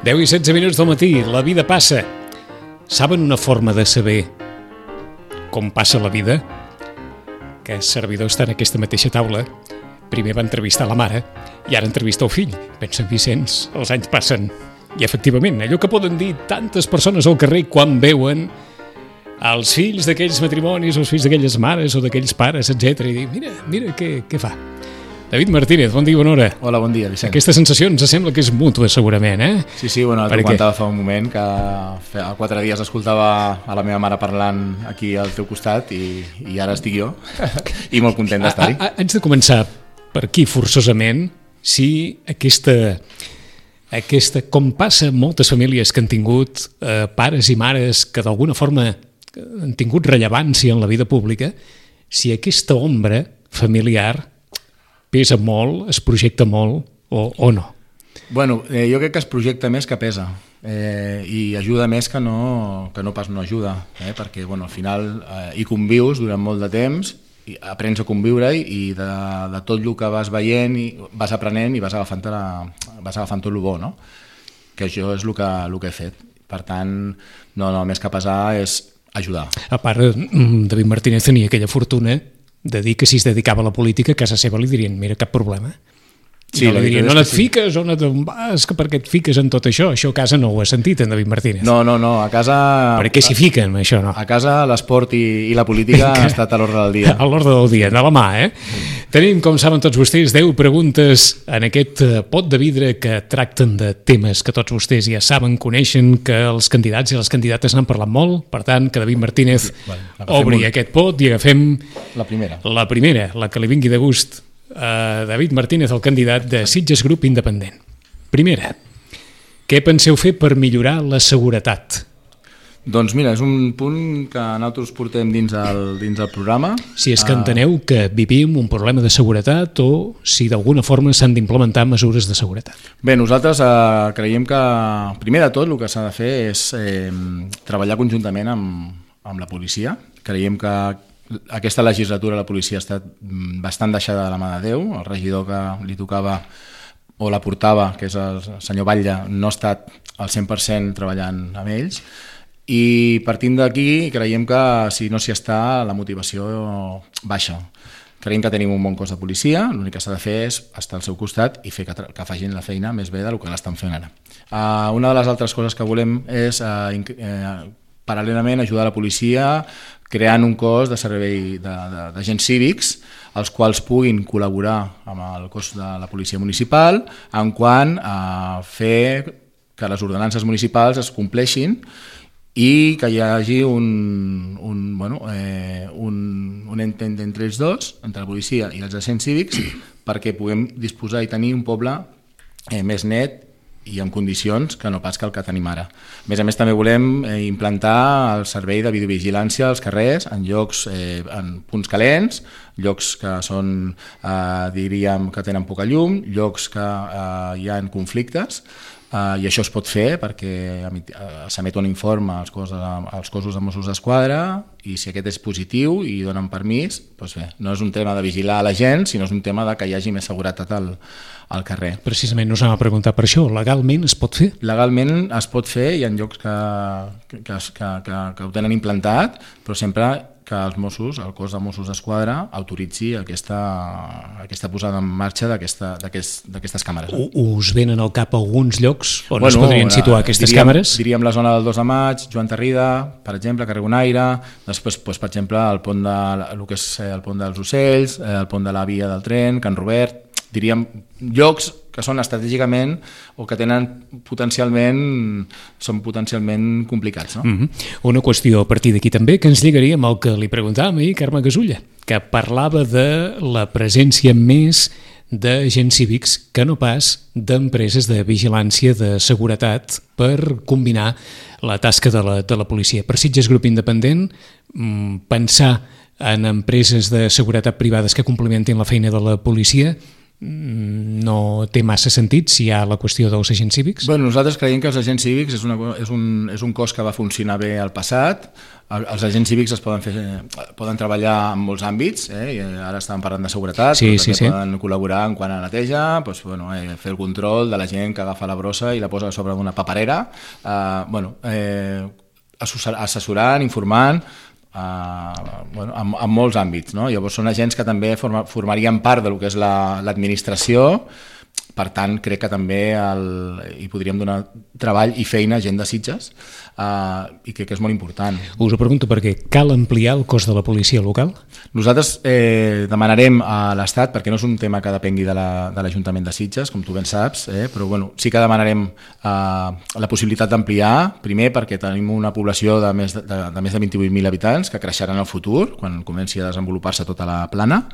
10 i 16 minuts del matí, la vida passa. Saben una forma de saber com passa la vida? Que el servidor està en aquesta mateixa taula. Primer va entrevistar la mare i ara entrevista el fill. Pensa en Vicenç, els anys passen. I efectivament, allò que poden dir tantes persones al carrer quan veuen els fills d'aquells matrimonis o els fills d'aquelles mares o d'aquells pares, etc. I dir, mira què fa. David Martínez, bon dia, bona hora. Hola, bon dia, Vicent. Aquesta sensació ens sembla que és mútua, segurament, eh? Sí, bueno, t'ho comentava fa un moment, que fa 4 dies escoltava a la meva mare parlant aquí al teu costat i ara estic jo, i molt content d'estar-hi. Haig de començar per aquí, forçosament, si aquesta, com passa en moltes famílies que han tingut pares i mares que d'alguna forma han tingut rellevància en la vida pública, si aquesta ombra familiar pesa molt, es projecta molt o no? Bueno, jo crec que es projecta més que pesa i ajuda més que no pas no ajuda, perquè bueno, al final hi convius durant molt de temps, i aprens a conviure i de tot el que vas veient i vas aprenent i vas agafant tot el bo, no? Que això és el que he fet. Per tant, no, més que pesar és ajudar. A part, David Martínez tenia aquella fortuna de dir que si es dedicava a la política a casa seva li dirien, mira, cap problema. Sí, no li dirien, on et fiques, on vas, per què et fiques en tot això? Això a casa no ho has sentit, en David Martínez. No, a casa... Per què s'hi fiquen, això no? A casa l'esport i la política ha estat a l'ordre del dia. A l'ordre del dia, de la mà, eh? Tenim, com saben tots vostès, 10 preguntes en aquest pot de vidre que tracten de temes que tots vostès ja saben, coneixen, que els candidats i les candidates n'han parlat molt, per tant, que David Martínez obri aquest pot i agafem... La primera, la que li vingui de gust. David Martínez, el candidat de Sitges Grup Independent. Primera, què penseu fer per millorar la seguretat? Doncs mira, és un punt que nosaltres portem dins el programa. Si és que enteneu que vivim un problema de seguretat o si d'alguna forma s'han d'implementar mesures de seguretat. Bé, nosaltres creiem que primer de tot el que s'ha de fer és treballar conjuntament amb la policia. Creiem que aquesta legislatura la policia ha estat bastant deixada de la mà de Déu. El regidor que li tocava o la portava, que és el senyor Batlle, no ha estat al 100% treballant amb ells. I partint d'aquí creiem que si no s'hi està, la motivació baixa. Creiem que tenim un bon cos de policia, l'únic que s'ha de fer és estar al seu costat i fer que facin la feina més bé del que l'estan fent ara. Una de les altres coses que volem és paral·lelament ajudar la policia creant un cos de servei d'agents cívics els quals puguin col·laborar amb el cos de la policia municipal en quant a fer que les ordenances municipals es compleixin i que hi hagi un intent entre ells dos, entre la policia i els agents cívics, perquè puguem disposar i tenir un poble més net i en condicions que no pas que el que tenim ara. A més, també volem implantar el servei de videovigilància als carrers en llocs, en punts calents, llocs que són, diríem, que tenen poca llum, llocs que hi ha conflictes, i això es pot fer perquè s'emet un informe als cossos de Mossos d'Esquadra i si aquest és positiu i donen permís, doncs bé, no és un tema de vigilar la gent, sinó és un tema de que hi hagi més seguretat al carrer. Precisament us hem de preguntar per això, legalment es pot fer? Legalment es pot fer, hi ha llocs que ho tenen implantat, però sempre que els Mossos, el cos de Mossos d'Esquadra, autoritzi aquesta posada en marxa d'aquestes càmeres. Us venen al cap alguns llocs on es podrien situar aquestes càmeres? Diríem la zona del 2 de maig, Joan Tarrida, per exemple, carrer Bonaire, després, per exemple, el pont dels Ocells, el pont de la via del tren, Can Robert, diríem llocs que són estratègicament o que són potencialment complicats. No? Una qüestió a partir d'aquí també que ens lligaria amb el que li preguntàvem ahir Carme Gasulla, que parlava de la presència més d'agents cívics que no pas d'empreses de vigilància de seguretat per combinar la tasca de la policia. Per Sitges Grup Independent, pensar en empreses de seguretat privades que complementin la feina de la policia no té massa sentit si hi ha la qüestió dels agents cívics? Bueno, nosaltres creiem que els agents cívics és un cos que va funcionar bé al passat. Els agents cívics poden treballar en molts àmbits, i ara estàvem parlant de seguretat, però també poden col·laborar en quant a neteja, fer el control de la gent que agafa la brossa i la posa sobre una paperera, assessorant, informant, en molts àmbits, no? Llavors són agents que també formarien part del que és l'administració. Per tant, crec que també hi podríem donar treball i feina a gent de Sitges, i crec que és molt important. Us ho pregunto perquè cal ampliar el cos de la policia local? Nosaltres demanarem a l'Estat, perquè no és un tema que depengui de l'Ajuntament de Sitges, com tu ben saps, però sí que demanarem la possibilitat d'ampliar, primer perquè tenim una població de més de 28.000 habitants que creixeran en el futur, quan comenci a desenvolupar-se tota la plana.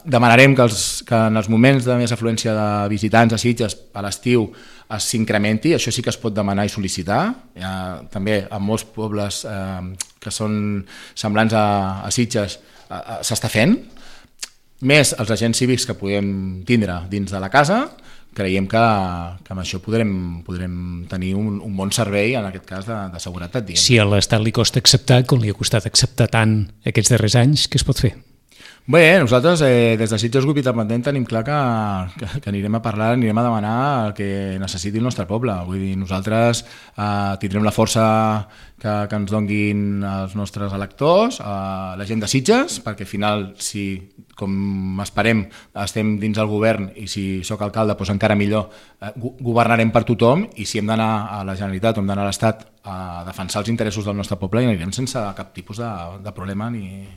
Demanarem que en els moments de més afluència de visitants a Sitges a l'estiu s'incrementi, això sí que es pot demanar i sol·licitar. També en molts pobles que són semblants a Sitges s'està fent. Més els agents cívics que podem tindre dins de la casa, creiem que amb això podrem tenir un bon servei, en aquest cas de seguretat. Si a l'Estat li costa acceptar, com li ha costat acceptar tant aquests darrers anys, què es pot fer? Bé, nosaltres des de Sitges Grup Independent tenim clar que anirem a parlar, anirem a demanar el que necessiti el nostre poble. Vull dir, nosaltres tindrem la força que ens donguin els nostres electors, la gent de Sitges, perquè al final, si com esperem estem dins el govern i si sóc alcalde doncs encara millor, governarem per tothom, i si hem d'anar a la Generalitat o hem d'anar a l'Estat a defensar els interessos del nostre poble, i anirem sense cap tipus de problema ni...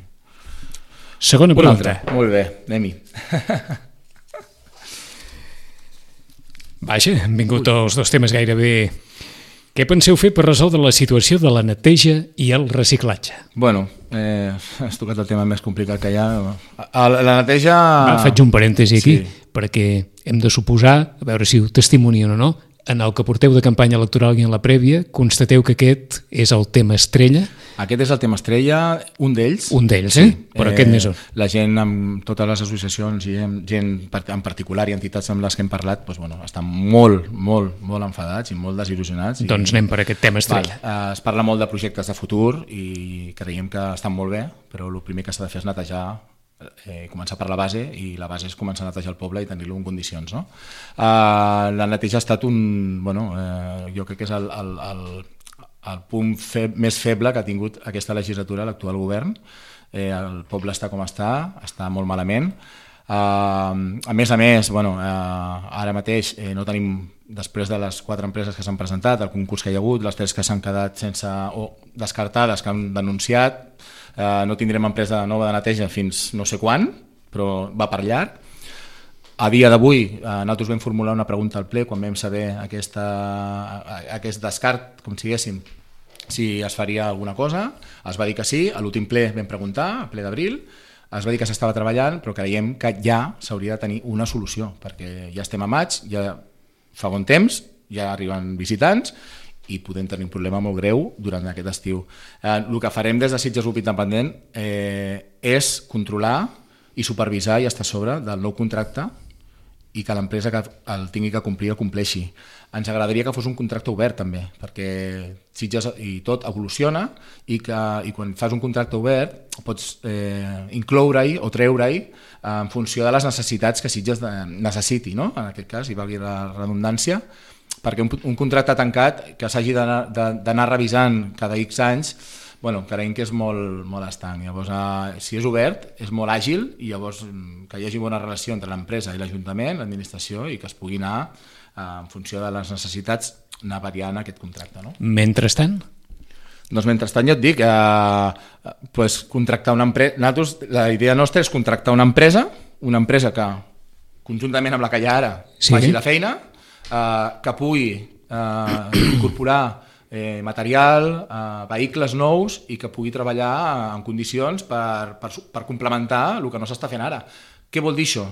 Segona pregunta. Molt bé, anem-hi. Vaja, han vingut els dos temes gairebé. Què penseu fer per resoldre la situació de la neteja i el reciclatge? Bueno, has tocat el tema més complicat que hi ha. La neteja... Faig un parèntesi aquí, perquè hem de suposar, a veure si ho testimonien o no, en el que porteu de campanya electoral i en la prèvia, constateu que aquest és el tema estrella? Aquest és el tema estrella, un d'ells. Un d'ells, sí. Però aquest més on. La gent, amb totes les associacions i gent en particular i entitats amb les que hem parlat, estan molt enfadats i molt desil·lusionats. Doncs anem per aquest tema estrella. Es parla molt de projectes de futur i creiem que estan molt bé, però el primer que s'ha de fer és netejar, començar per la base, i la base és començar a netejar el poble i tenir-lo en condicions, no? La neteja ha estat jo crec que és el punt més feble que ha tingut aquesta legislatura l'actual govern. El poble està com està molt malament. A més, ara mateix no tenim, després de les 4 empreses que s'han presentat, el concurs que hi ha hagut, les 3 que s'han quedat sense o descartades, que han denunciat, no tindrem empresa nova de neteja fins no sé quan, però va per llarg. A dia d'avui nosaltres vam formular una pregunta al ple quan vam saber aquest descart, com diguéssim, si es faria alguna cosa. Es va dir que sí, a l'últim ple vam preguntar, al ple d'abril, es va dir que s'estava treballant, però creiem que ja s'hauria de tenir una solució, perquè ja estem a maig, ja fa bon temps, ja arriben visitants i podem tenir un problema molt greu durant aquest estiu. El que farem des de Sitges Grup Independent és controlar i supervisar i estar a sobre del nou contracte i que l'empresa que el tingui que complir el compleixi. Ens agradaria que fos un contracte obert també, perquè Sitges i tot evoluciona i quan fas un contracte obert pots incloure-hi o treure-hi en funció de les necessitats que Sitges necessiti, no? En aquest cas, hi valgui la redundància, perquè un contracte tancat que s'hagi d'anar revisant cada X anys, creiem que és molt estanc. Llavors, si és obert, és molt àgil, i llavors que hi hagi bona relació entre l'empresa i l'Ajuntament, l'administració, i que es pugui anar, en funció de les necessitats, anar variant aquest contracte. No? Mentrestant? Doncs mentrestant jo et dic, contractar una empresa... La idea nostra és contractar una empresa que, conjuntament amb la que hi ha ara, faci la feina, que pugui incorporar material, vehicles nous, i que pugui treballar en condicions per complementar el que no s'està fent ara. Què vol dir això?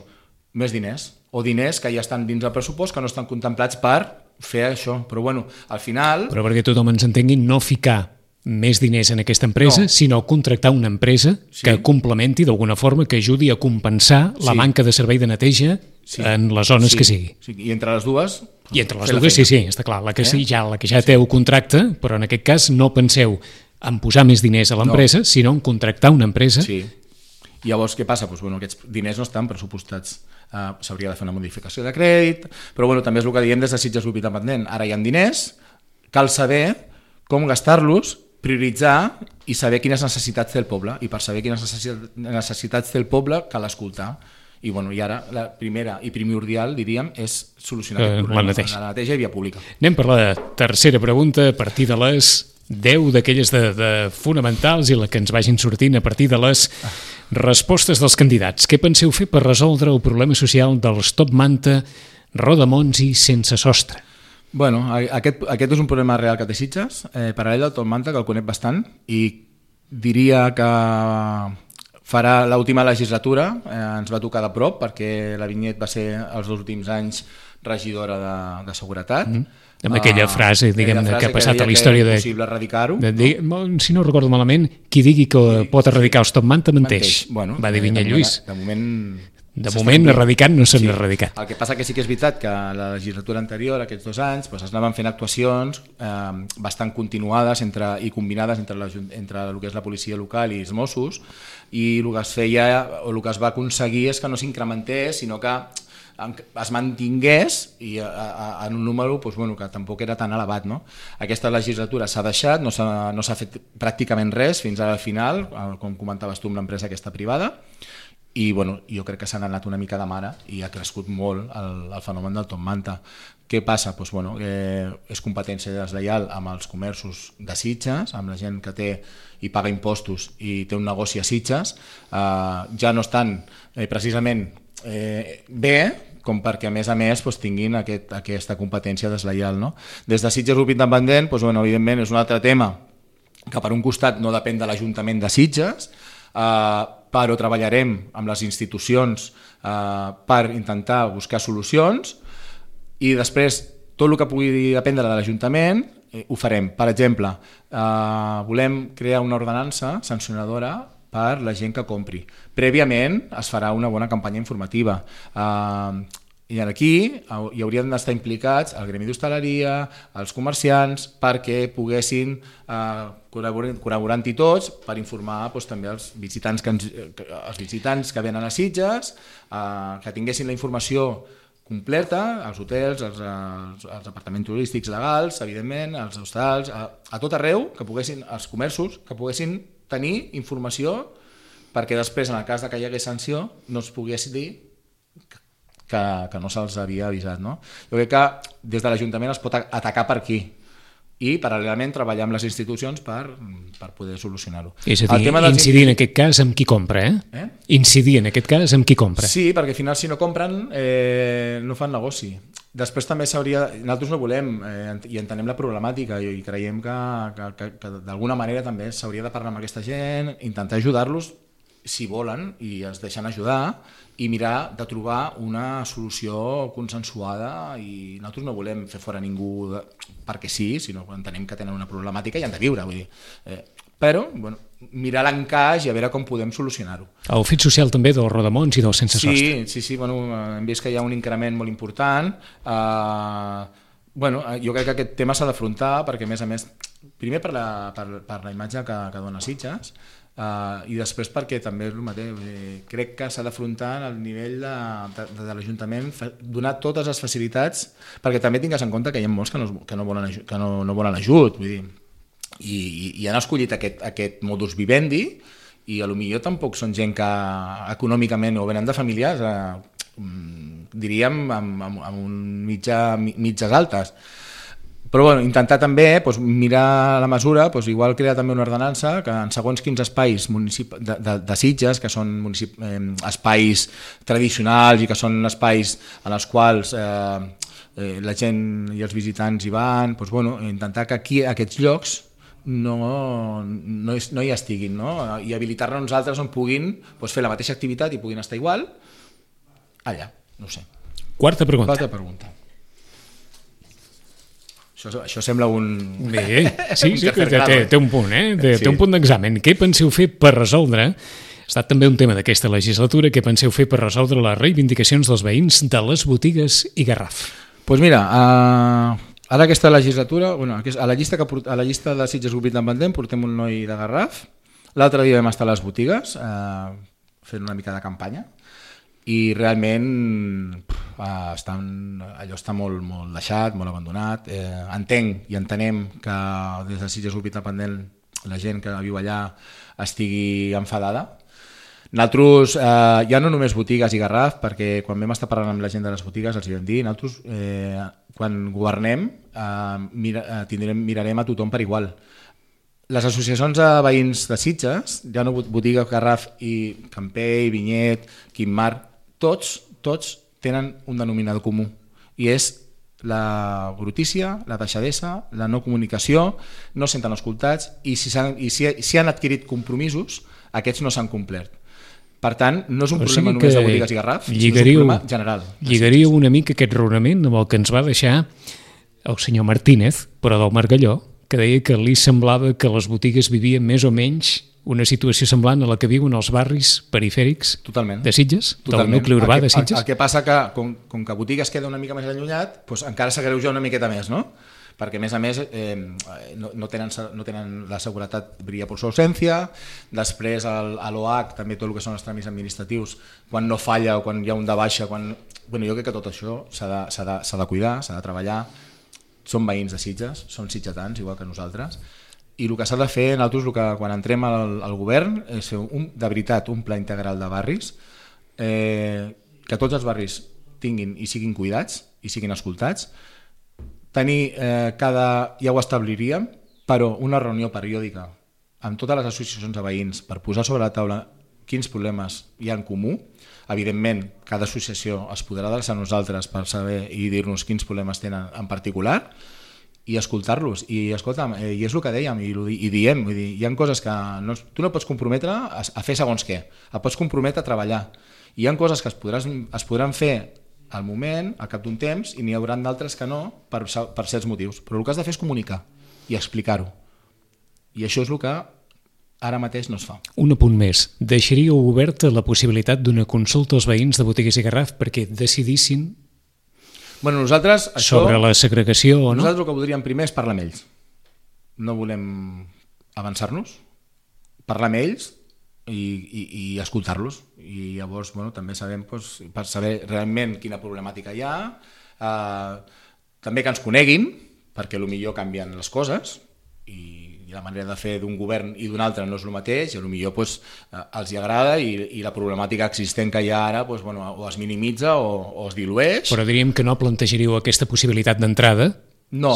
Més diners, o diners que ja estan dins el pressupost que no estan contemplats per fer això, però al final... Però perquè tothom ens entengui, no ficar més diners en aquesta empresa, sinó contractar una empresa que complementi d'alguna forma, que ajudi a compensar la manca de servei de neteja en les zones que sigui. I entre les dues... I entre les dues, sí, està clar. La que ja té el contracte, però en aquest cas no penseu en posar més diners a l'empresa, sinó en contractar una empresa. Sí. I llavors què passa? Aquests diners no estan pressupostats. S'hauria de fer una modificació de crèdit, però també és el que diem des de Sitges Grup Independent. Ara hi ha diners, cal saber com gastar-los, prioritzar i saber quines necessitats té el poble. I per saber quines necessitats té el poble cal escoltar. I ara la primera i primordial, diríem, és solucionar aquest problema, la neteja i via pública. Anem per la tercera pregunta a partir de les 10 d'aquelles de fonamentals i la que ens vagin sortint a partir de les respostes dels candidats. Què penseu fer per resoldre el problema social dels Top Manta, Rodamons i Sense Sostre? Aquest és un problema real que té Sitges, paral·lel al Top Manta, que el conec bastant, i diria que farà l'última legislatura, ens va tocar de prop, perquè la Vinyet va ser els 2 últims anys regidora de seguretat. Amb aquella frase, diguem-ne, que ha passat a la història de... possible erradicar-ho. Si no recordo malament, qui digui que pot erradicar els Top Manta menteix. Va dir Vinyet Lluís. De moment, erradicant no s'han erradicat. El que passa que sí que és veritat que la legislatura anterior, aquests 2 anys, es anaven fent actuacions bastant continuades i combinades entre el que és la policia local i els Mossos, i el que es feia o el que es va aconseguir és que no s'incrementés, sinó que es mantingués i en un número que tampoc era tan elevat. Aquesta legislatura s'ha deixat, no s'ha fet pràcticament res fins al final, com comentaves tu, amb l'empresa aquesta privada, i jo crec que s'han anat una mica de mare i ha crescut molt el fenomen del Top Manta. Què passa? És competència deslleial amb els comerços de Sitges, amb la gent que té i paga impostos i té un negoci a Sitges, ja no estan precisament bé com perquè a més tinguin aquesta competència deslleial. Des de Sitges Grup Independent, evidentment és un altre tema que per un costat no depèn de l'Ajuntament de Sitges, però treballarem amb les institucions per intentar buscar solucions i després tot el que pugui dependre de l'Ajuntament ho farem. Per exemple, volem crear una ordenança sancionadora per la gent que compri. Prèviament es farà una bona campanya informativa. I aquí hi haurien d'estar implicats el gremi d'hostaleria, els comerciants, perquè poguessin, col·laborant-hi tots, per informar també els visitants que venen a Sitges, que tinguessin la informació completa, als hotels, als apartaments turístics legals, evidentment, als hostals, a tot arreu, els comerços, que poguessin tenir informació perquè després, en el cas que hi hagués sanció, no es pogués dir que no se'ls havia avisat. Jo crec que des de l'Ajuntament es pot atacar per aquí i paral·lelament treballar amb les institucions per poder solucionar-ho. És a dir, incidir en aquest cas amb qui compra, Incidir en aquest cas amb qui compra. Sí, perquè al final si no compren no fan negoci. Després també nosaltres no volem i entenem la problemàtica i creiem que d'alguna manera també s'hauria de parlar amb aquesta gent, intentar ajudar-los si volen i es deixen ajudar i mirar de trobar una solució consensuada, i nosaltres no volem fer fora ningú perquè sí, sinó que entenem que tenen una problemàtica i han de viure, vull dir. Però mirar l'encaix i a veure com podem solucionar-ho. El fit social també dels Rodamons i dels Sense Sostre. Sí, hem vist que hi ha un increment molt important. Jo crec que aquest tema s'ha d'afrontar perquè, a més, primer per la imatge que dona Sitges, i després perquè també és el mateix, crec que s'ha d'afrontar al nivell de l'Ajuntament, donar totes les facilitats, perquè també tingues en compte que hi ha molts que no volen ajut, vull dir, i han escollit aquest modus vivendi i potser tampoc són gent que econòmicament o venen de famílies diríem amb mitges altes. Però intentar també mirar la mesura, igual crear també una ordenança que en segons quins espais de Sitges, que són espais tradicionals i que són espais en els quals la gent i els visitants hi van, intentar que aquí aquests llocs no hi estiguin, i habilitar-nos nosaltres on puguin fer la mateixa activitat i puguin estar igual allà, no sé. Quarta pregunta. Quarta pregunta. Això sembla un... Bé, sí, un sí, cafè que claro. té un punt, té Sí. un punt d'examen. Què penseu fer per resoldre? Ha estat també un tema d'aquesta legislatura. Què penseu fer per resoldre les reivindicacions dels veïns de les botigues i Garraf? Doncs mira, ara aquesta legislatura, bueno, a la llista de Sitges Grup Independent portem un noi de Garraf. L'altre dia vam estar a les botigues fent una mica de campanya i realment allò està molt, molt deixat, molt abandonat. Entenc i entenem que des de Sitges Grup Independent la gent que viu allà estigui enfadada. Nosaltres, ja no només botigues i Garraf, perquè quan vam estar parlant amb la gent de les botigues els vam dir, nosaltres quan governem mirarem a tothom per igual. Les associacions de veïns de Sitges, ja no botiga, Garraf i Campell, Vinyet, Quimar, tots tenen un denominador comú i és la brutícia, la deixadesa, la no comunicació, no senten escoltats i si han adquirit compromisos, aquests no s'han complert. Per tant, no és un problema només de botigues i Garraf, sinó és un problema general. Lligaríeu una mica aquest raonament amb el que ens va deixar el senyor Martínez, però del Margalló, que deia que li semblava que les botigues vivien més o menys una situació semblant a la que viuen els barris perifèrics de Sitges, del nucli urbà de Sitges. El que passa que, com que botigues queda una mica més allunyat, doncs encara s'agreuja una miqueta més, no? Perquè a més no tenen la seguretat, brilla per su ausència, després a l'OH també tot el que són els tràmits administratius, quan no falla o quan hi ha un de baixa, jo crec que tot això s'ha de cuidar, s'ha de treballar. Són veïns de Sitges, són sitgetans igual que nosaltres, i el que s'ha de fer nosaltres quan entrem al govern és fer de veritat un pla integral de barris, que tots els barris tinguin i siguin cuidats i siguin escoltats, tenir ja ho establiríem, però una reunió periòdica amb totes les associacions de veïns per posar sobre la taula quins problemes hi ha en comú. Evidentment, cada associació es podrà adreçar a nosaltres per saber i dir-nos quins problemes tenen en particular i escoltar-los. I escolta'm, i és el que dèiem i diem, vull dir, hi ha coses que tu no pots comprometre a fer segons què, et pots comprometre a treballar. I hi ha coses que es podran fer al moment, al cap d'un temps, i n'hi haurà d'altres que no per certs motius. Però el que has de fer és comunicar i explicar-ho. I això és el que ara mateix no es fa. Un apunt més. Deixaríeu oberta la possibilitat d'una consulta als veïns de botigues i Garraf perquè decidissin nosaltres, sobre la segregació o no? Nosaltres el que voldríem primer és parlar amb ells. No volem avançar-nos, parlar amb ells i escoltar-los. I llavors també sabem, per saber realment quina problemàtica hi ha, també que ens coneguin, perquè potser canvien les coses i la manera de fer d'un govern i d'un altre no és el mateix, i potser els hi agrada i la problemàtica existent que hi ha ara o es minimitza o es dilueix. Però diríem que no plantejaríeu aquesta possibilitat d'entrada,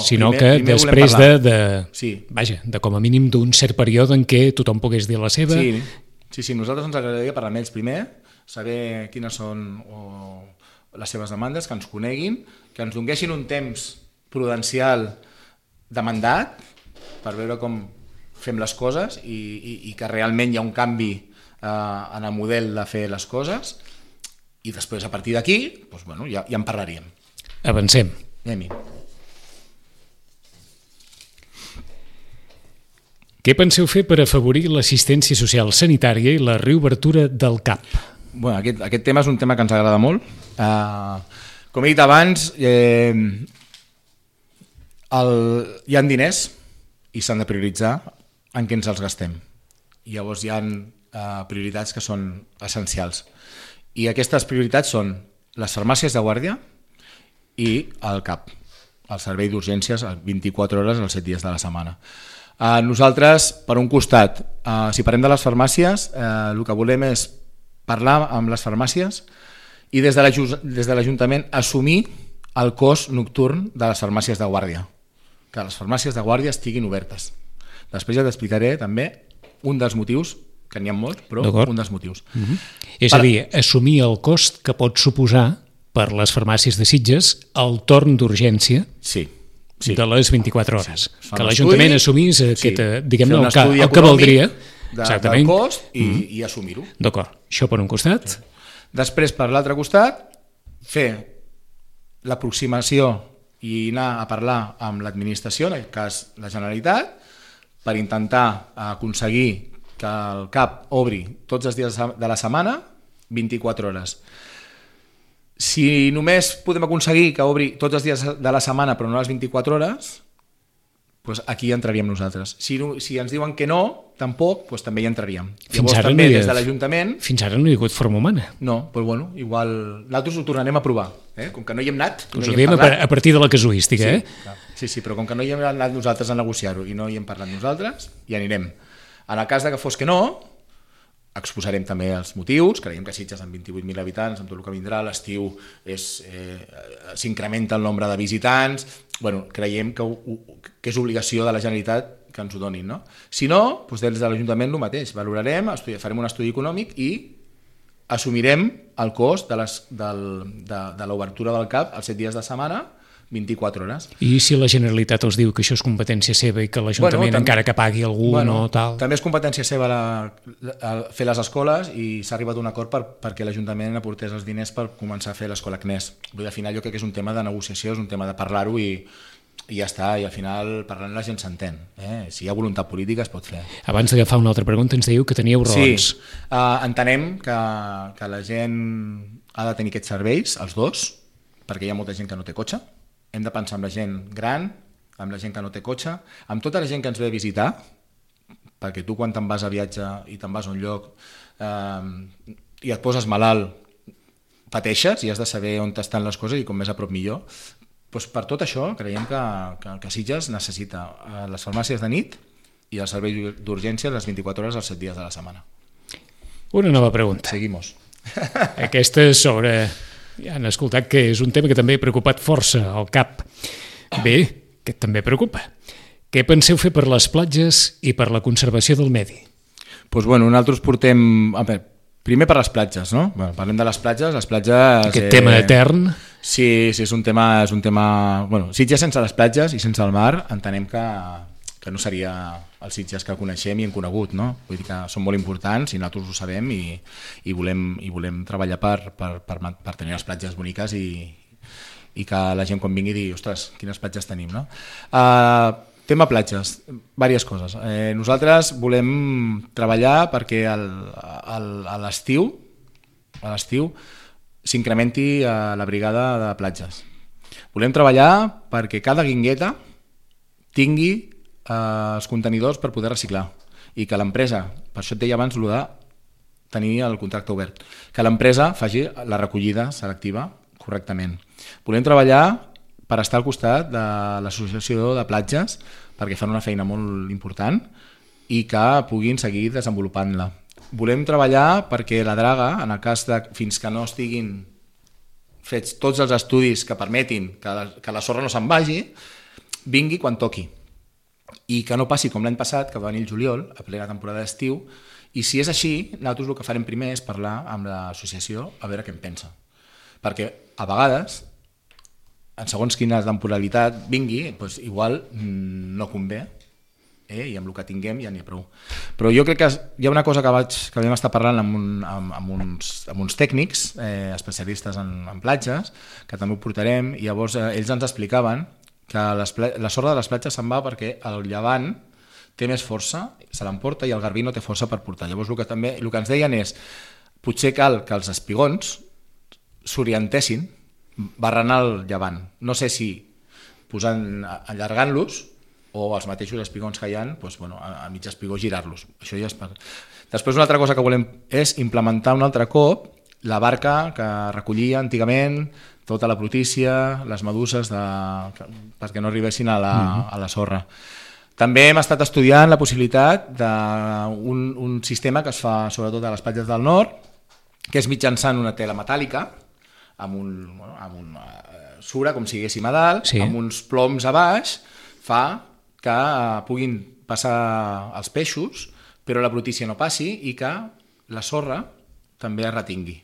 sinó primer que després sí. de com a mínim d'un cert període en què tothom pogués dir la seva. Sí, nosaltres ens agradaria parlar amb ells primer, saber quines són les seves demandes, que ens coneguin, que ens donguessin un temps prudencial de mandat per veure com fem les coses i que realment hi ha un canvi en el model de fer les coses, i després a partir d'aquí ja en parlaríem. Avancem. Què penseu fer per afavorir l'assistència social sanitària i la reobertura del CAP? Aquest tema és un tema que ens agrada molt. Com he dit abans, hi ha diners i s'han de prioritzar en què ens els gastem. Llavors hi ha prioritats que són essencials. I aquestes prioritats són les farmàcies de guàrdia i el CAP, el servei d'urgències 24 hores els 7 dies de la setmana. Nosaltres, per un costat, si parlem de les farmàcies, el que volem és parlar amb les farmàcies i des de l'Ajuntament assumir el cost nocturn de les farmàcies de guàrdia, que les farmàcies de guàrdia estiguin obertes. Després ja t'explicaré també un dels motius, que n'hi ha molts, però un dels motius. És a dir, assumir el cost que pot suposar per les farmàcies de Sitges el torn d'urgència de les 24 hores. Que l'Ajuntament assumís el que valdria del cost i assumir-ho. D'acord, això per un costat. Després, per l'altre costat, fer l'aproximació i anar a parlar amb l'administració, en aquest cas la Generalitat, per intentar aconseguir que el CAP obri tots els dies de la setmana 24 hores. Si només podem aconseguir que obri tots els dies de la setmana però no les 24 hores, doncs aquí entraríem nosaltres. Si ens diuen que no, tampoc, doncs també hi entraríem. Llavors també des de l'Ajuntament... Fins ara no hi ha hagut forma humana. No, doncs bueno, igual nosaltres ho tornarem a provar. Com que no hi hem anat... Us ho diem a partir de la casuística, Sí, però com que no hi hem anat nosaltres a negociar-ho i no hi hem parlat nosaltres, hi anirem. En el cas de que fos que no, exposarem també els motius, creiem que Sitges amb 28.000 habitants, amb tot el que vindrà, l'estiu s'incrementa el nombre de visitants, creiem que és obligació de la Generalitat que ens ho donin. No? Si no, doncs des de l'Ajuntament el mateix, valorarem, farem un estudi econòmic i assumirem el cost de l'obertura del CAP els 7 dies de setmana, 24 hores. I si la Generalitat us diu que això és competència seva i que l'Ajuntament encara que pagui algú no tal... També és competència seva fer les escoles i s'ha arribat a un acord perquè l'Ajuntament aportés els diners per començar a fer l'escola CNES. Al final jo crec que és un tema de negociació, és un tema de parlar-ho i ja està, i al final parlant la gent s'entén. Si hi ha voluntat política es pot fer. Abans d'agafar una altra pregunta ens diu que teníeu raons. Sí, entenem que la gent ha de tenir aquests serveis, els dos, perquè hi ha molta gent que no té cotxe. Hem de pensar amb la gent gran, amb la gent que no té cotxe, amb tota la gent que ens ve a visitar, perquè tu quan te'n vas a viatge i te'n vas a un lloc i et poses malalt, pateixes i has de saber on estan les coses i com més a prop millor. Doncs per tot això creiem que Sitges necessita les farmàcies de nit i el servei d'urgència les 24 hores els 7 dies de la setmana. Una nova pregunta. Seguimos. Aquesta és sobre... Ja han escoltat que és un tema que també ha preocupat força al CAP. Bé, que també preocupa. Què penseu fer per les platges i per la conservació del medi? Doncs nosaltres portem... Primer per les platges, no? Parlem de les platges. Aquest tema etern. Sí, és un tema... Sitges sense les platges i sense el mar entenem que no seria els Sitges que coneixem i hem conegut, no? Vull dir que són molt importants i nosaltres ho sabem i volem treballar per tenir les platges boniques i que la gent quan vingui digui, ostres, quines platges tenim, no? Tema platges, diverses coses. Nosaltres volem treballar perquè a l'estiu s'incrementi la brigada de platges. Volem treballar perquè cada guingueta tingui els contenidors per poder reciclar i que l'empresa, per això et deia abans de tenir el contracte obert, que l'empresa faci la recollida selectiva correctament. Volem treballar per estar al costat de l'associació de platges perquè fan una feina molt important i que puguin seguir desenvolupant-la. Volem treballar perquè la draga, en el cas de fins que no estiguin fets tots els estudis que permetin que la sorra no se'n vagi, vingui quan toqui. I que no passi com l'any passat, que va venir el juliol, a plena temporada d'estiu, i si és així, nosaltres el que farem primer és parlar amb l'associació a veure què en pensa. Perquè a vegades, en segons quina temporalitat vingui, doncs igual no convé, i amb el que tinguem ja n'hi ha prou. Però jo crec que hi ha una cosa que vam estar parlant amb uns tècnics especialistes en platges, que també ho portarem, i llavors ells ens explicaven que la sorra de les platges se'n va perquè el llevant té més força, se l'emporta i el garbí no té força per portar. Llavors el que ens deien és potser cal que els espigons s'orientessin barrant el llevant. No sé si allargant-los o els mateixos espigons que hi ha, a mig espigó girar-los. Això ja és per... Després una altra cosa que volem és implementar un altre cop la barca que recollia antigament tota la brutícia, les meduses perquè no arribessin a la sorra. També hem estat estudiant la possibilitat d'un sistema que es fa sobretot a les platges del nord, que és mitjançant una tela metàl·lica, amb una sura, com si diguéssim a dalt, amb uns ploms a baix, fa que puguin passar els peixos, però la brutícia no passi i que la sorra també es retingui.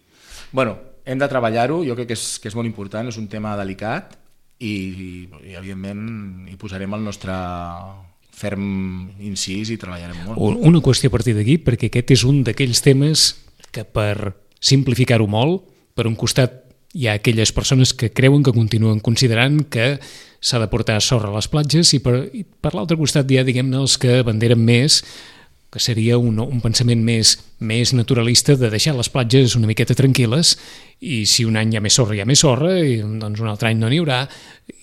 Hem de treballar-ho, jo crec que és molt important, és un tema delicat i evidentment hi posarem el nostre ferm incís i treballarem molt. Una qüestió a partir d'aquí, perquè aquest és un d'aquells temes que per simplificar-ho molt, per un costat Hi ha aquelles persones que creuen, que continuen considerant que s'ha de portar sorra a les platges i per l'altre costat hi ha, diguem-ne, els que abanderen més, que seria un pensament més naturalista de deixar les platges una miqueta tranquil·les i si un any hi ha més sorra, i, doncs un altre any no n'hi haurà,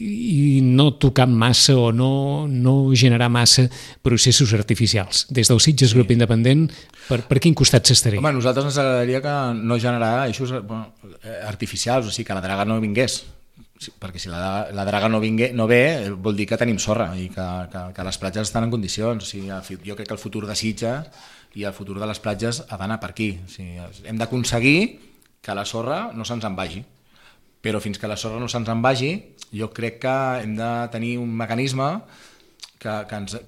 i no tocar massa o no generar massa processos artificials. Des del Sitges Grup Independent, per quin costat s'estaria? Home, a nosaltres ens agradaria que no generar eixos artificials, o sigui, que la draga no vingués, perquè si la draga no ve vol dir que tenim sorra i que les platges estan en condicions. O sigui, jo crec que el futur de Sitges i el futur de les platges ha d'anar per aquí. O sigui, hem d'aconseguir que la sorra no se'ns en vagi, però fins que la sorra no se'ns en vagi jo crec que hem de tenir un mecanisme que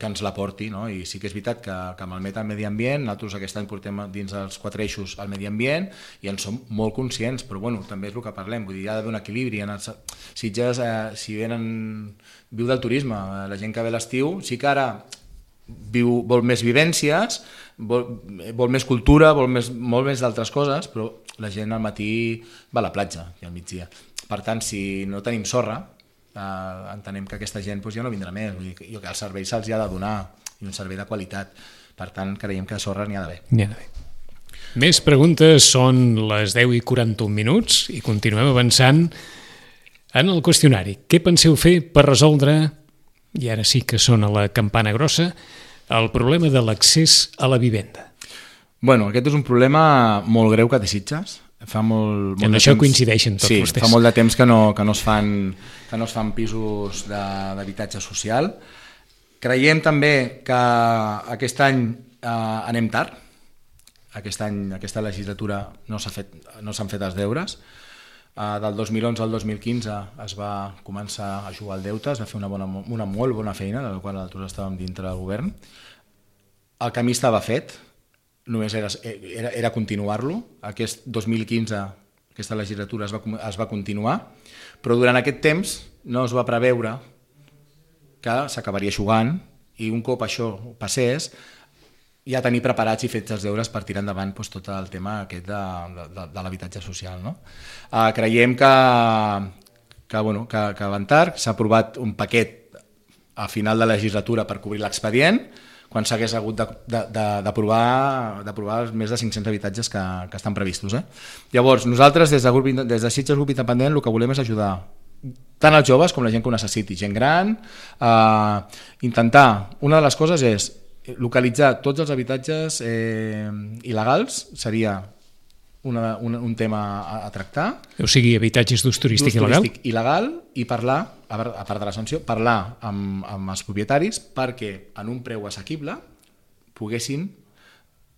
ens la porti, no? I sí que és veritat que malmet el medi ambient, nosaltres aquest any portem dins dels 4 eixos al medi ambient i en som molt conscients, però bueno, també és el que parlem, vull dir, hi ha d'haver un equilibri. En els Sitges, si viu del turisme, la gent que ve a l'estiu sí que ara vol més vivències, vol més cultura, molt més d'altres coses, però la gent al matí va a la platja i al migdia. Per tant, si no tenim sorra, entenem que aquesta gent ja no vindrà més. Vull dir que el servei se'ls ha de donar, i un servei de qualitat. Per tant, creiem que sorra n'hi ha d'haver. N'hi ha d'haver. Més preguntes, són les 10:41 i continuem avançant en el qüestionari. Què penseu fer per resoldre, i ara sí que sona la campana grossa, el problema de l'accés a la vivenda? Bueno, aquest és un problema molt greu que té Sitges. En això coincideixen tots vostès. Sí, fa molt de temps que no es fan pisos d'habitatge social. Creiem també que aquest any anem tard. Aquesta legislatura no s'han fet els deures. Del 2011 al 2015 es va començar a jugar al deute, es va fer una molt bona feina, de la qual nosaltres estàvem dintre del govern. El camí estava fet, només era continuar-lo. Aquest 2015, aquesta legislatura es va continuar, però durant aquest temps no es va preveure que s'acabaria jugant i un cop això passés ja tenir preparats i fets els deures per tirar endavant tot el tema aquest de l'habitatge social. No? Creiem que van tard, s'ha aprovat un paquet a final de legislatura per cobrir l'expedient, quan s'hagués hagut d'aprovar més de 500 habitatges que estan previstos. Llavors, nosaltres, des de Sitges Grup Independent, el que volem és ajudar tant els joves com la gent que ho necessiti, gent gran, intentar, una de les coses és localitzar tots els habitatges il·legals, seria un tema a tractar. O sigui, habitatges d'ús turístic il·legal i parlar, a part de la sanció, parlar amb els propietaris perquè en un preu assequible poguessin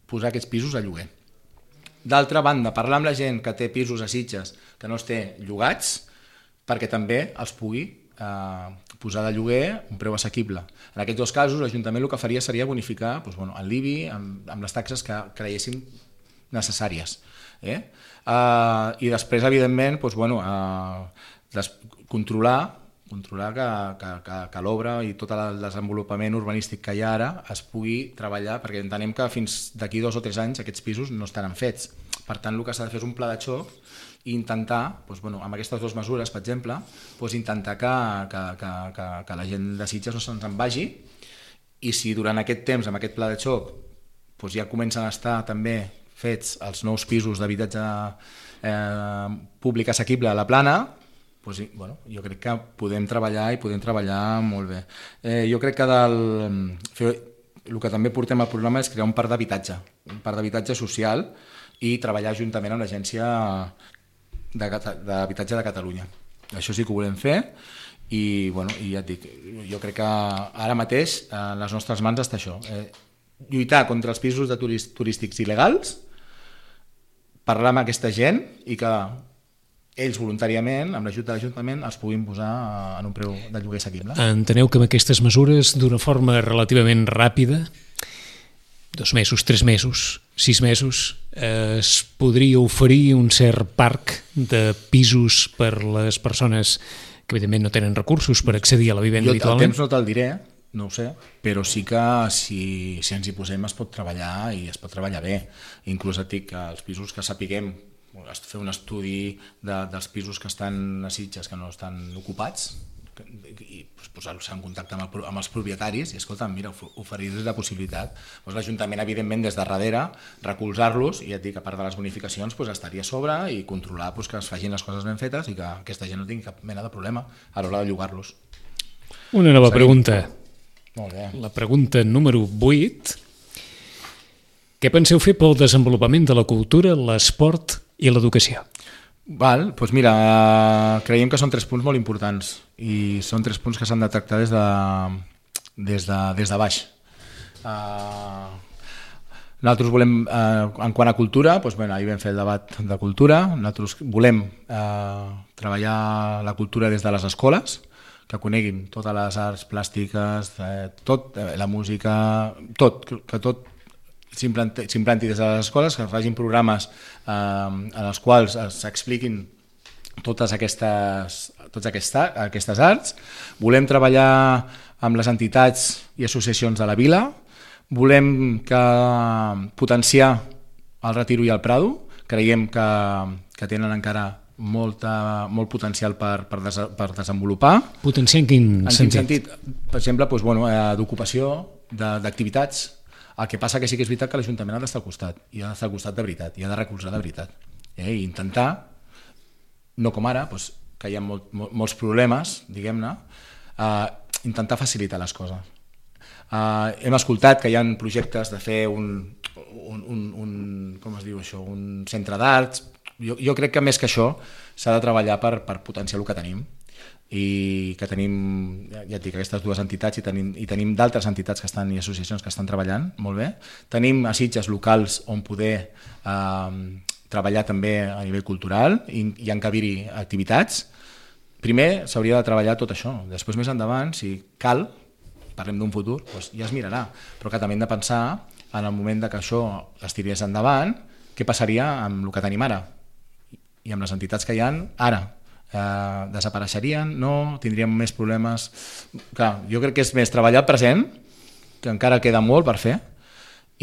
posar aquests pisos a lloguer. D'altra banda, parlar amb la gent que té pisos a Sitges que no es té llogats perquè també els pugui posar de lloguer un preu assequible. En aquests dos casos, l'Ajuntament el que faria seria bonificar el l'IBI amb les taxes que creiessin necessàries. I després, evidentment, controlar que l'obra i tot el desenvolupament urbanístic que hi ha ara es pugui treballar, perquè entenem que fins d'aquí 2 o 3 anys aquests pisos no estaran fets. Per tant, el que s'ha de fer és un pla de xoc i intentar, amb aquestes 2 mesures, per exemple, intentar que la gent de Sitges no se'ns en vagi, i si durant aquest temps, amb aquest pla de xoc, ja comencen a estar també fets els nous pisos d'habitatge públic assequible a la Plana, jo crec que podem treballar molt bé. Jo crec que el que també portem al programa és crear un parc d'habitatge social i treballar juntament amb l'Agència d'Habitatge de Catalunya. Això sí que ho volem fer i ja et dic, jo crec que ara mateix en les nostres mans està això, lluitar contra els pisos turístics il·legals, parlar amb aquesta gent i que ells voluntàriament, amb l'ajut de l'Ajuntament, els puguin posar en un preu de lloguer assequible. Enteneu que amb aquestes mesures, d'una forma relativament ràpida, 2 mesos, 3 mesos, 6 mesos, es podria oferir un cert parc de pisos per les persones que evidentment no tenen recursos per accedir a la vivenda habitualment? El temps no te'l diré, no ho sé, però sí que si ens hi posem es pot treballar i es pot treballar bé. Inclús et dic que els pisos que sapiguem fer un estudi dels pisos que estan a Sitges que no estan ocupats i posar-los en contacte amb els propietaris i, escolta, mira, oferir-los la possibilitat. L'Ajuntament, evidentment, des de darrere, recolzar-los i, ja et dic, a part de les bonificacions, estaria a sobre i controlar que es facin les coses ben fetes i que aquesta gent no tingui cap mena de problema a l'hora de llogar-los. Una nova pregunta. Molt bé. La pregunta número 8. Què penseu fer pel desenvolupament de la cultura, l'esport i l'educació? Doncs mira, creiem que són 3 punts molt importants i són 3 punts que s'han de tractar des de baix. Nosaltres volem, en quant a cultura, ahir vam fer el debat de cultura, nosaltres volem treballar la cultura des de les escoles, que coneguin totes les arts plàstiques, la música, que tot s'implanti des de les escoles, que facin programes en els quals s'expliquin totes aquestes arts. Volem treballar amb les entitats i associacions de la vila, volem potenciar el Retiro i el Prado, creiem que tenen encara molt potencial per desenvolupar. Potenciar en quin sentit? Per exemple, d'ocupació, d'activitats. El que passa que sí que és veritat que l'Ajuntament ha d'estar al costat, i ha d'estar al costat de veritat, i ha de recolzar de veritat. I intentar, no com ara, que hi ha molts problemes, diguem-ne, intentar facilitar les coses. Hem escoltat que hi ha projectes de fer un centre d'arts. Jo crec que més que això s'ha de treballar per potenciar el que tenim, i que tenim, ja et dic, aquestes 2 entitats i tenim d'altres entitats que estan i associacions que estan treballant molt bé. Tenim a Sitges locals on poder treballar també a nivell cultural i encabir-hi activitats. Primer s'hauria de treballar tot això, després més endavant, si cal, parlem d'un futur, ja es mirarà, però que també hem de pensar en el moment que això es tirés endavant, què passaria amb el que tenim ara i amb les entitats que hi ha ara. Desapareixerien, no? Tindríem més problemes. Clar, jo crec que és més treballar el present, que encara queda molt per fer,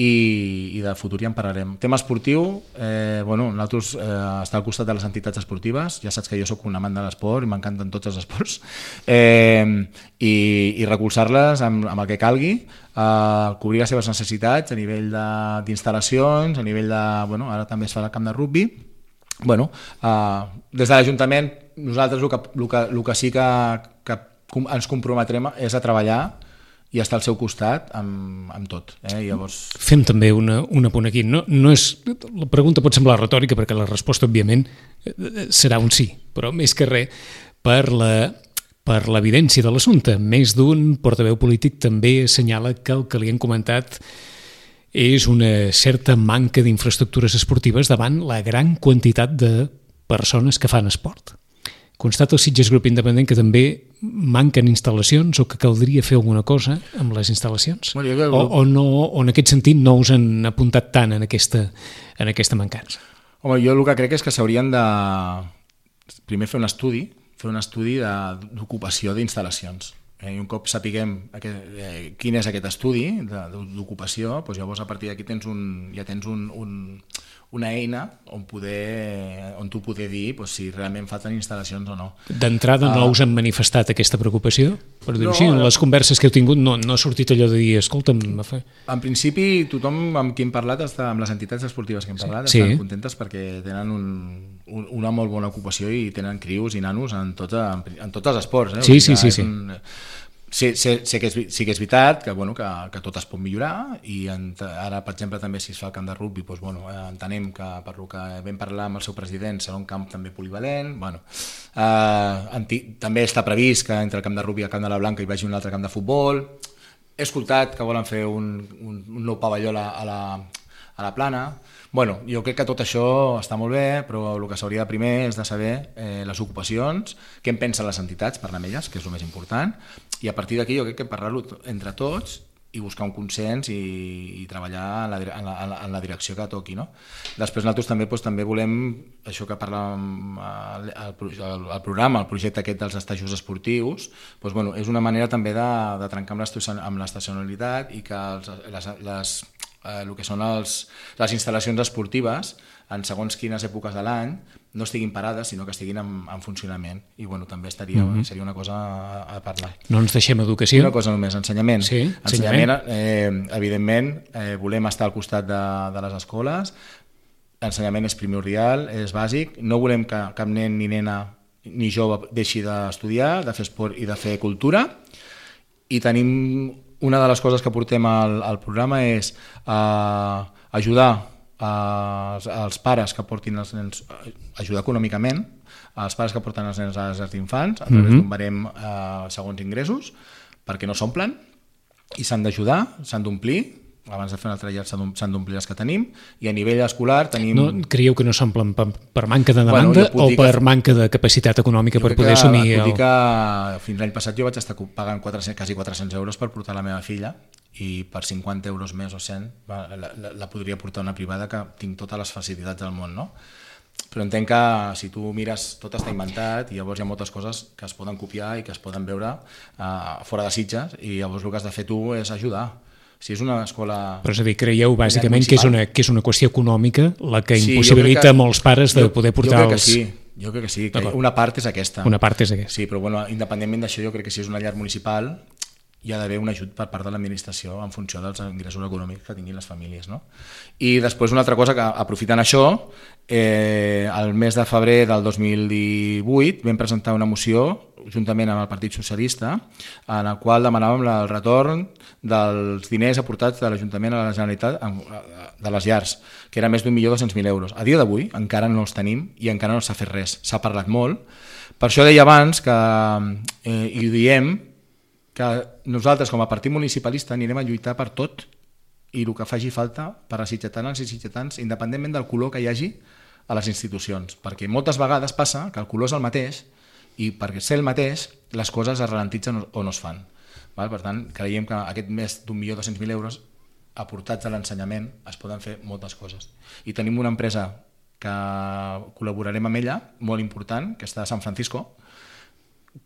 i de futur ja en parlarem. Tema esportiu, nosaltres estar al costat de les entitats esportives, ja saps que jo soc un amant de l'esport i m'encanten tots els esports, i recolzar-les amb el que calgui, cobrir les seves necessitats a nivell d'instal·lacions, a nivell de... ara també es fa el camp de rugbi. Des de l'Ajuntament nosaltres el que sí que ens comprometrem és a treballar i estar al seu costat amb tot. Llavors... Fem també un apunt aquí. No és, la pregunta pot semblar retòrica perquè la resposta, òbviament, serà un sí, però més que res per l'evidència de l'assumpte. Més d'un portaveu polític també assenyala que el que li han comentat és una certa manca d'infraestructures esportives davant la gran quantitat de persones que fan esport. Constata el Sitges Grup Independent que també manquen instal·lacions o que caldria fer alguna cosa amb les instal·lacions? O en aquest sentit no us han apuntat tant en aquesta mancança? Home, jo el que crec és que s'haurien de primer fer un estudi d'ocupació d'instal·lacions. I un cop sapiguem quin és aquest estudi d'ocupació, llavors a partir d'aquí ja tens una eina on tu poder dir si realment falten instal·lacions o no. D'entrada no us han manifestat aquesta preocupació? Per dir-ho així, en les converses que heu tingut no ha sortit allò de dir, escolta'm... En principi, tothom amb qui hem parlat, amb les entitats esportives que hem parlat, estan contentes perquè tenen una molt bona ocupació i tenen crios i nanos en tots els esports. Sí. Sé que és veritat que tot es pot millorar i ara, per exemple, també si es fa el camp de rugbi, entenem que per el que vam parlar amb el seu president serà un camp també polivalent. També està previst que entre el camp de rugbi i el camp de la Blanca hi vagi un altre camp de futbol. He escoltat que volen fer un nou pavelló a la Plana. Jo crec que tot això està molt bé, però el que s'hauria de primer és de saber les ocupacions, què en pensen les entitats, parlar amb elles, que és el més important, i a partir d'aquí jo crec que parlar-ho entre tots i buscar un consens i treballar en la direcció que toqui. Després nosaltres també volem, això que parlàvem al programa, el projecte aquest dels estajos esportius, és una manera també de trencar amb l'estacionalitat i que el que són les instal·lacions esportives en segons quines èpoques de l'any no estiguin parades, sinó que estiguin en funcionament. I bueno, també seria una cosa a parlar. No ens deixem educació. Una cosa només, ensenyament. Sí, ensenyament, evidentment, volem estar al costat de les escoles. L'ensenyament és primordial, és bàsic. No volem que cap nen ni nena ni jove deixi d'estudiar, de fer esport i de fer cultura. I tenim una de les coses que portem al programa és ajudar als pares que portin els nens, ajudar econòmicament als pares que porten els nens a les llars d'infants a través d'un barem segons ingressos, perquè no s'omplen i s'han d'ajudar, s'han d'omplir. Abans de fer una altra llar s'han d'omplir les que tenim, i a nivell escolar tenim... No, creieu que no s'omplen per manca de demanda o per manca de capacitat econòmica per poder assumir... Jo dic que fins l'any passat jo vaig estar pagant quasi 400 euros per portar la meva filla, i per 50 euros més o 100 la podria portar una privada, que tinc totes les facilitats del món, no? Però entenc que si tu mires, tot està inventat, i llavors hi ha moltes coses que es poden copiar i que es poden veure fora de Sitges, i llavors el que has de fer tu és ajudar. Si és una escola... Però és a dir, creieu bàsicament que és una qüestió econòmica la que impossibilita a molts pares de poder portar els... Jo crec que sí, que una part és aquesta. Una part és aquesta. Sí, però bueno, independentment d'això, jo crec que si és una llar municipal hi ha d'haver un ajut per part de l'administració en funció dels ingressos econòmics que tinguin les famílies, no? I després una altra cosa, que aprofitant això, el mes de febrer del 2018 vam presentar una moció juntament amb el Partit Socialista, en el qual demanàvem el retorn dels diners aportats de l'Ajuntament a la Generalitat de les llars, que era més d'1.200.000 euros. A dia d'avui encara no els tenim i encara no s'ha fet res. S'ha parlat molt. Per això deia abans que, i ho diem, que nosaltres com a partit municipalista anirem a lluitar per tot i el que faci falta per a sitgetanes i sitgetans, independentment del color que hi hagi a les institucions, perquè moltes vegades passa que el color és el mateix i perquè ser el mateix les coses es ralentitzen o no es fan. Per tant, creiem que aquest més d'1.200.000 euros aportats a l'ensenyament es poden fer moltes coses. I tenim una empresa que col·laborarem amb ella, molt important, que està a San Francisco,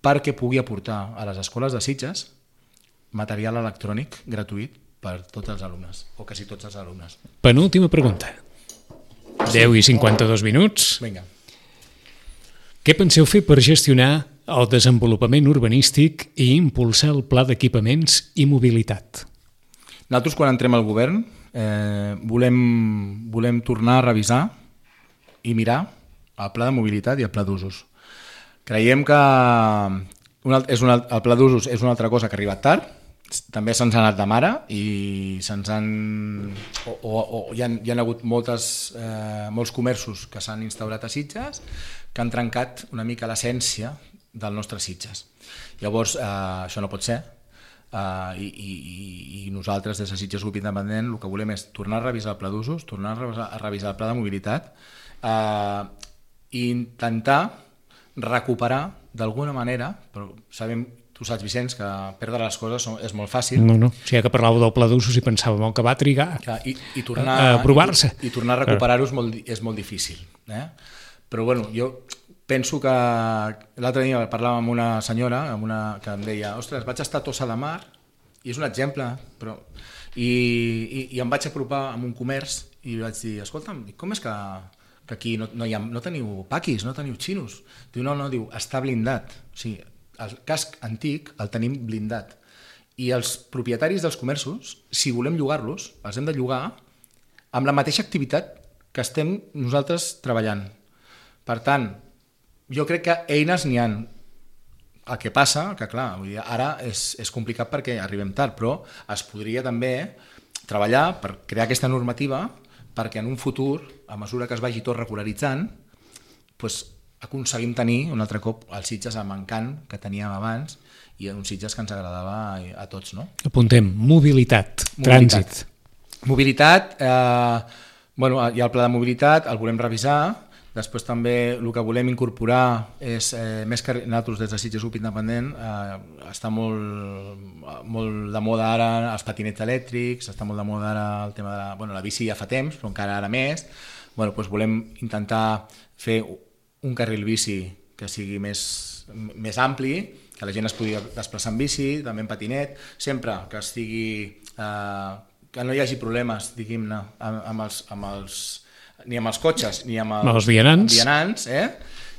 perquè pugui aportar a les escoles de Sitges material electrònic gratuït per tots els alumnes, o quasi tots els alumnes. Penúltima pregunta. 10 i 52 minuts. Vinga. Què penseu fer per gestionar el desenvolupament urbanístic i impulsar el pla d'equipaments i mobilitat? Nosaltres, quan entrem al govern, volem tornar a revisar i mirar el pla de mobilitat i el pla d'usos. Creiem que el pla d'usos és una altra cosa que ha arribat tard, també se'ns ha anat de mare i se'ns han... hi ha hagut molts comerços que s'han instaurat a Sitges que han trencat una mica l'essència del nostre Sitges. Llavors, això no pot ser, i nosaltres des de Sitges Grup Independent el que volem és tornar a revisar el pla d'usos, tornar a revisar el pla de mobilitat i intentar recuperar d'alguna manera, però sabem, tu saps, Vicenç, que perdre les coses és molt fàcil. No. Si que parlàveu del pla d'usos i pensàvem que va trigar i tornar a provar-se. I tornar a recuperar-ho és molt difícil. Però bueno, jo penso que l'altre dia parlàvem amb una senyora que em deia, ostres, vaig estar a Tossa de Mar, i és un exemple, però... I em vaig apropar a un comerç i vaig dir, escolta'm, com és que aquí no teniu paquis, no teniu xinos? Diu, no, diu, està blindat. O sigui, el casc antic el tenim blindat. I els propietaris dels comerços, si volem llogar-los, els hem de llogar amb la mateixa activitat que estem nosaltres treballant. Per tant, jo crec que eines n'hi ha. El que passa, que clar, ara és complicat perquè arribem tard, però es podria també treballar per crear aquesta normativa perquè en un futur, a mesura que es vagi tot regularitzant, aconseguim tenir un altre cop els Sitges amb encant que teníem abans i uns Sitges que ens agradava a tots. No? Apuntem, mobilitat, trànsit. Mobilitat, hi ha el pla de mobilitat, el volem revisar. Després també el que volem incorporar és, més que nosaltres des de Sitges Grup Independent, està molt de moda ara els patinets elèctrics, està molt de moda ara el tema de la bici ja fa temps, però encara ara més. Volem intentar fer un carril bici que sigui més ampli, que la gent es pugui desplaçar en bici, també en patinet, sempre que que no hi hagi problemes, diguem-ne, ni amb els cotxes ni amb els vianants.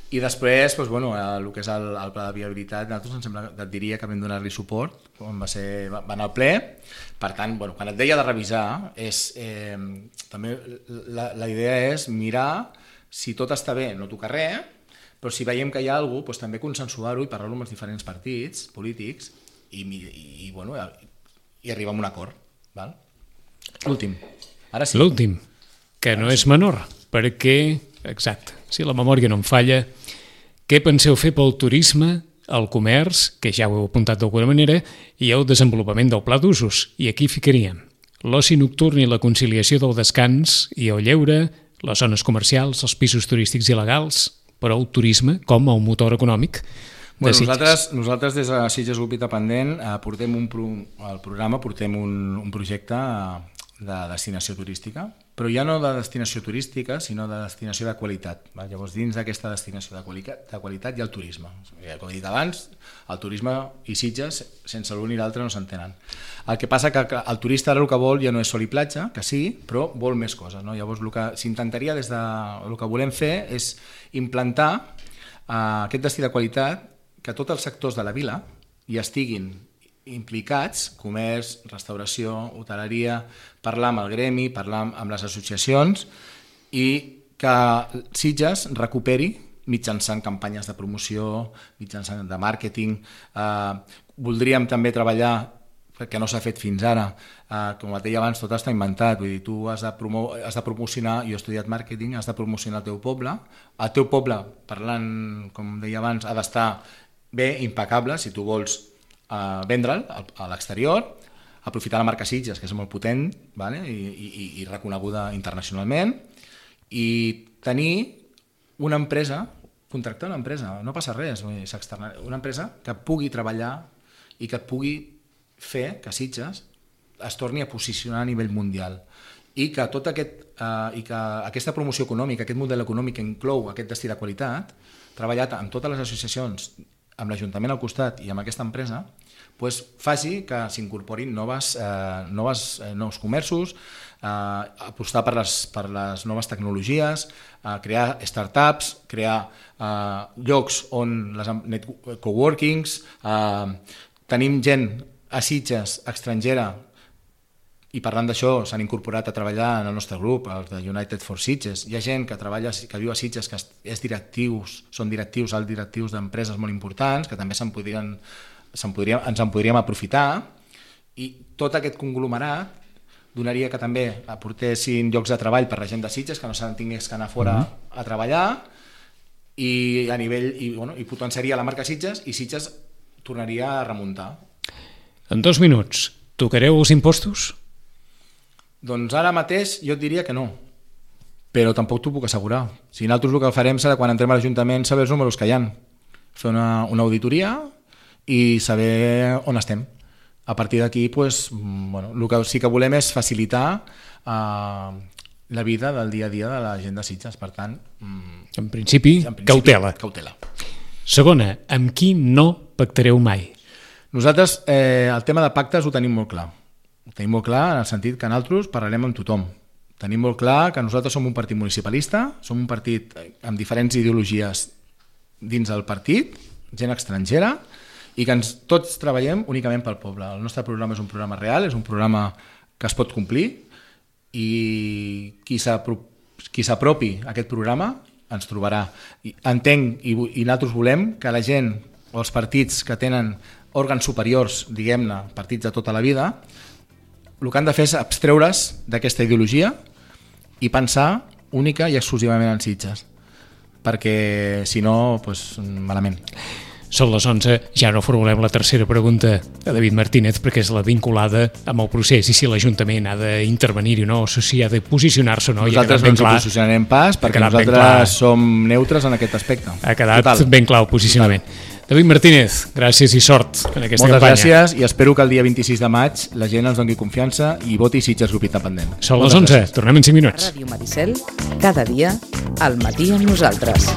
I després, doncs, bueno, el que és el pla de viabilitat, nosaltres et diria que vam donar-li suport quan va anar al ple. Per tant, bueno, quan et deia de revisar, també la idea és mirar si tot està bé, no tocar res, però si veiem que hi ha alguna cosa, doncs també consensuar-ho i parlar-ho amb els diferents partits polítics i arribar a un acord. Val? L'últim. Ara sí. L'últim, que no és menor, perquè, exacte, si la memòria no em falla, què penseu fer pel turisme, el comerç, que ja ho heu apuntat d'alguna manera, i el desenvolupament del pla d'usos? I aquí ficaríem l'oci nocturn i la conciliació del descans i el lleure, les zones comercials, els pisos turístics il·legals, però el turisme com a un motor econòmic de Sitges. Nosaltres des de Sitges Grup Independent portem un projecte de destinació turística, però ja no de destinació turística, sinó de destinació de qualitat. Llavors, dins d'aquesta destinació de qualitat hi ha el turisme. Com he dit abans, el turisme i Sitges, sense l'un i l'altre, no s'entenen. El que passa que el turista ara el que vol ja no és sol i platja, que sí, però vol més coses. Llavors, el que s'intentaria el que volem fer és implantar aquest destí de qualitat, que tots els sectors de la vila hi estiguin implicats, comerç, restauració, hoteleria, parlar amb el gremi, parlar amb les associacions i que Sitges recuperi mitjançant campanyes de promoció, mitjançant de màrqueting. Voldríem també treballar, que no s'ha fet fins ara, com et deia abans, tot està inventat, vull dir, tu has de promocionar, jo he estudiat màrqueting, has de promocionar el teu poble, parlant, com deia abans, ha d'estar bé, impecable, si tu vols vendre'l a l'exterior, aprofitar la marca Sitges, que és molt potent, vale? I reconeguda internacionalment, i tenir una empresa, contractar una empresa, no passa res, una empresa que pugui treballar i que et pugui fer que Sitges es torni a posicionar a nivell mundial i que aquesta promoció econòmica, aquest model econòmic que inclou aquest destí de qualitat, treballat amb totes les associacions, amb l'Ajuntament al costat i amb aquesta empresa, faci que s'incorporin nous comerços, apostar per les noves tecnologies, crear startups, crear llocs on les coworkings, tenim gent a Sitges estrangera i parlant d'això s'han incorporat a treballar en el nostre grup, els de United for Sitges. Hi ha gent que viu a Sitges que són directius, alt directius d'empreses molt importants, que també ens en podríem aprofitar, i tot aquest conglomerat donaria que també aportessin llocs de treball per la gent de Sitges, que no se'n tingués que anar fora a treballar, i potenciaria la marca Sitges, i Sitges tornaria a remuntar. En 2 minuts, tocareu els impostos? Doncs ara mateix jo et diria que no, però tampoc t'ho puc assegurar. Si nosaltres el que farem serà, quan entrem a l'Ajuntament, saber els números que hi ha, fer una auditoria i saber on estem. A partir d'aquí, el que sí que volem és facilitar la vida del dia a dia de la gent de Sitges. Per tant, en principi, cautela. Segona, amb qui no pactareu mai? Nosaltres el tema de pactes ho tenim molt clar. Ho tenim molt clar en el sentit que nosaltres parlarem amb tothom. Tenim molt clar que nosaltres som un partit municipalista, som un partit amb diferents ideologies dins del partit, gent estrangera, i que tots treballem únicament pel poble. El nostre programa és un programa real, és un programa que es pot complir, i qui s'apropi a aquest programa ens trobarà. Entenc i nosaltres volem que la gent o els partits que tenen òrgans superiors, diguem-ne, partits de tota la vida, el que han de fer és abstreure's d'aquesta ideologia i pensar única i exclusivament en Sitges, perquè si no, malament. Són les 11, ja no formulem la tercera pregunta a David Martínez, perquè és la vinculada amb el procés i si l'Ajuntament ha d'intervenir-hi o no, o si ha de posicionar-se o no. Nosaltres no ens posicionarem pas, perquè nosaltres som neutres en aquest aspecte. Ha quedat ben clar el posicionament. David Martínez, gràcies i sort en aquesta campanya. Moltes gràcies i espero que el dia 26 de maig la gent ens doni confiança i voti Sitges Grup Independent. Són les 11, tornem en 5 minuts. Ràdio Maricel, cada dia al matí amb nosaltres.